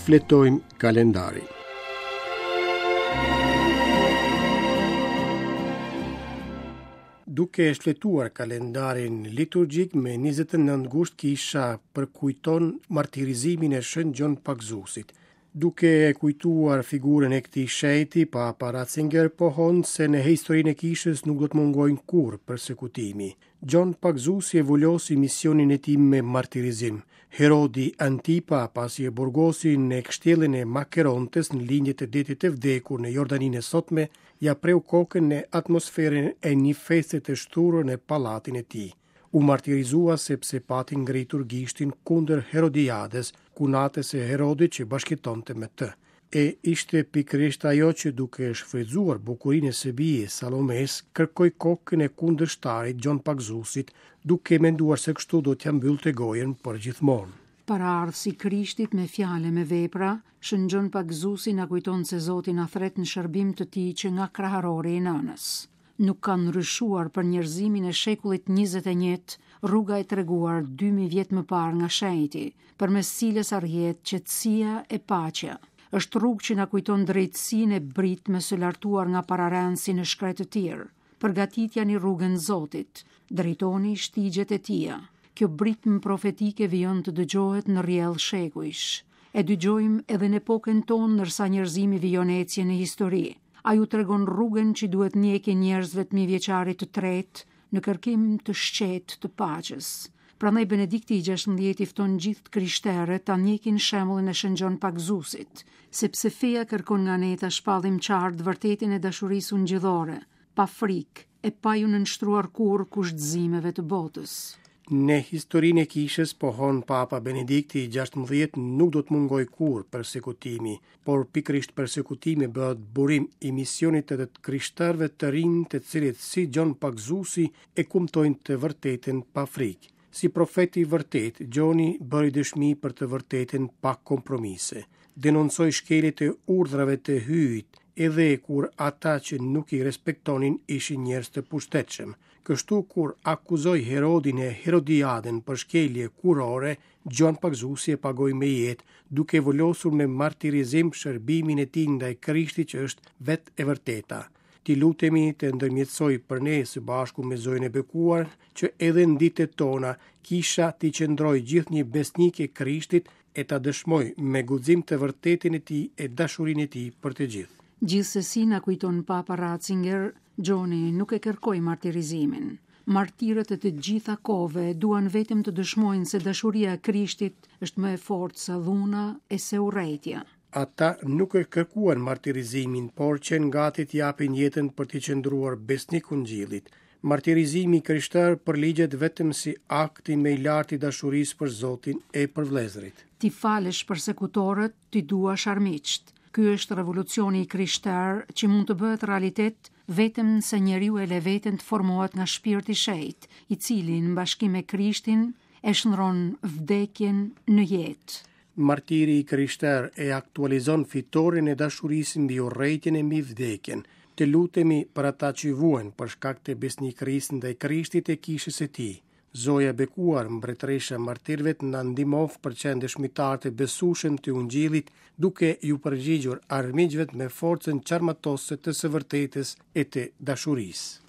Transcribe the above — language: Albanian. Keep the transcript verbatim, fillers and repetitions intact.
Shfletojmë kalendarin. Duke shfletuar kalendarin liturgjik me njëzet e nëntë gusht kisha përkujton martirizimin e Shën Gjon Pagëzuesit. Duke e kujtuar figurën e këtij shenjti, Papa Ratzinger pohon se në historinë e kishës nuk do të mungojnë kurrë persekutimi. Gjon Pagëzuesi e vulosi misionin e tij me martirizim. Herodi Antipa, pasi e burgosi në kështjellën e Makerontes në lindje të detit të vdekur në Jordaninë e sotme, ja preu kokën në atmosferën e një feste të shthurur në pallatin e tij. U martirizua sepse pati ngritur gishtin kundër Herodiades, kunatës së Herodit që bashkëtonte me të. E ishte pikërisht ajo që duke shfrytzuar bukurinë e së bijës Salomes, kërkoi kokën e kundërshtarit Gjon Pagëzuesit, duke menduar se kështu do t'ia mbyllte gojën për gjithmonë. Paraardhësi Krishtit me fjalë me vepra, Shën Gjon Pagëzuesi na kujton se Zoti na thret në shërbim të tij që nga kraharori i nënës. Nuk ka ndryshuar për njerëzimin e shekullit njëzet e një rruga e treguar dy mijë vjet më parë nga shenjti, përmes cilës arrihet qetësia e paqja. Është rrugë që na kujton drejtësinë e britmës së lartuar nga pararendësi në shkretëtirë. Përgatitjani rrugën Zotit, drejtoni shtigjet e tija. Kjo britmë profetike vijon të dëgjohet në rrjedh shekujsh. E dëgjojmë edhe në epokën tonë ndërsa njerëzimi vijon ecjen në histori. Ai u tregon rrugën që duhet ndjekin njerëzve të mijëvjeçarit të tretë në kërkim të shqetë të paqes. Prandaj Benedikti i gjashtëmbëdhjetë i fton gjithë të krishterët ta ndjekin shembullin e Shën Gjon Pagëzuesit, sepse feja kërkon nga ne ta shpallim qartë vërtetën e dashurisë ungjillore, pa frikë e pa ju nënshtruar kurrë kushtëzimeve të botës. Në historinë e kishës, pohon Papa Benedikti i gjashtëmbëdhjetë, nuk do të mungojë kurrë persekutimi, por pikërisht persekutimi bëhet burim i misionit të të krishterëve të rinj, të cilët si Gjon Pagëzuesi e kumtojnë të vërtetën pa frikë. Si profeti i vërtet, Gjoni bëri dëshmi për të vërtetën pa kompromise. Denoncoi shkeljet e urdhrave të Hyjit, edhe kur ata që nuk i respektonin ishin njerëz të pushtetshëm. Kështu kur akuzoi Herodin e Herodiadën për shkelje kurore, Gjon Pagëzuesi e pagoi me jetë, duke volosur me martirizim shërbimin e tij ndaj Krishtit që është vetë e vërteta. Ti lutemi të ndërmjetësoj për ne së bashku me Zojën e Bekuar, që edhe në ditët tona kisha t'i qëndrojë gjithnjë besnike Krishtit e ta dëshmoj me guxim të vërtetën e tij e dashurinë e tij për të gjithë. Gjithsesi na kujton Papa Ratzinger, Gjoni nuk e kërkoi martirizimin. Martirët e të gjitha kohëve duan vetëm të dëshmojnë se dashuria e Krishtit është më e fortë se dhuna e se urrejtja. Ata nuk e kërkuan martirizimin, por qenë gati të japin jetën për t'i qëndruar besnik ungjillit. Martirizimi i krishter përligjet vetëm si akti më i lartë i dashurisë për Zotin e për vëllezërit. Ti falësh persekutorët, ti duash armiqt. Ky është revolucioni i krishter që mund të bëhet realitet vetëm nëse njeriu e le veten të formohet nga shpirti i shenjtë, i cili në bashkim me Krishtin e shndron vdekjen në jetë. Martiri i krishter e aktualizon fitoren e dashurisë mbi urrejtjen e mbi vdekjen. Të lutemi për ata që vuajnë për shkak të besnikërisë ndaj Krishtit e kishës së tij. Zoja e bekuar, mbretëresha e martirëve, na ndihmof për qenë dëshmitar të besueshëm të ungjillit, duke ju përgjigjur armiqve me forcën çarmatose të së vërtetës e të dashurisë.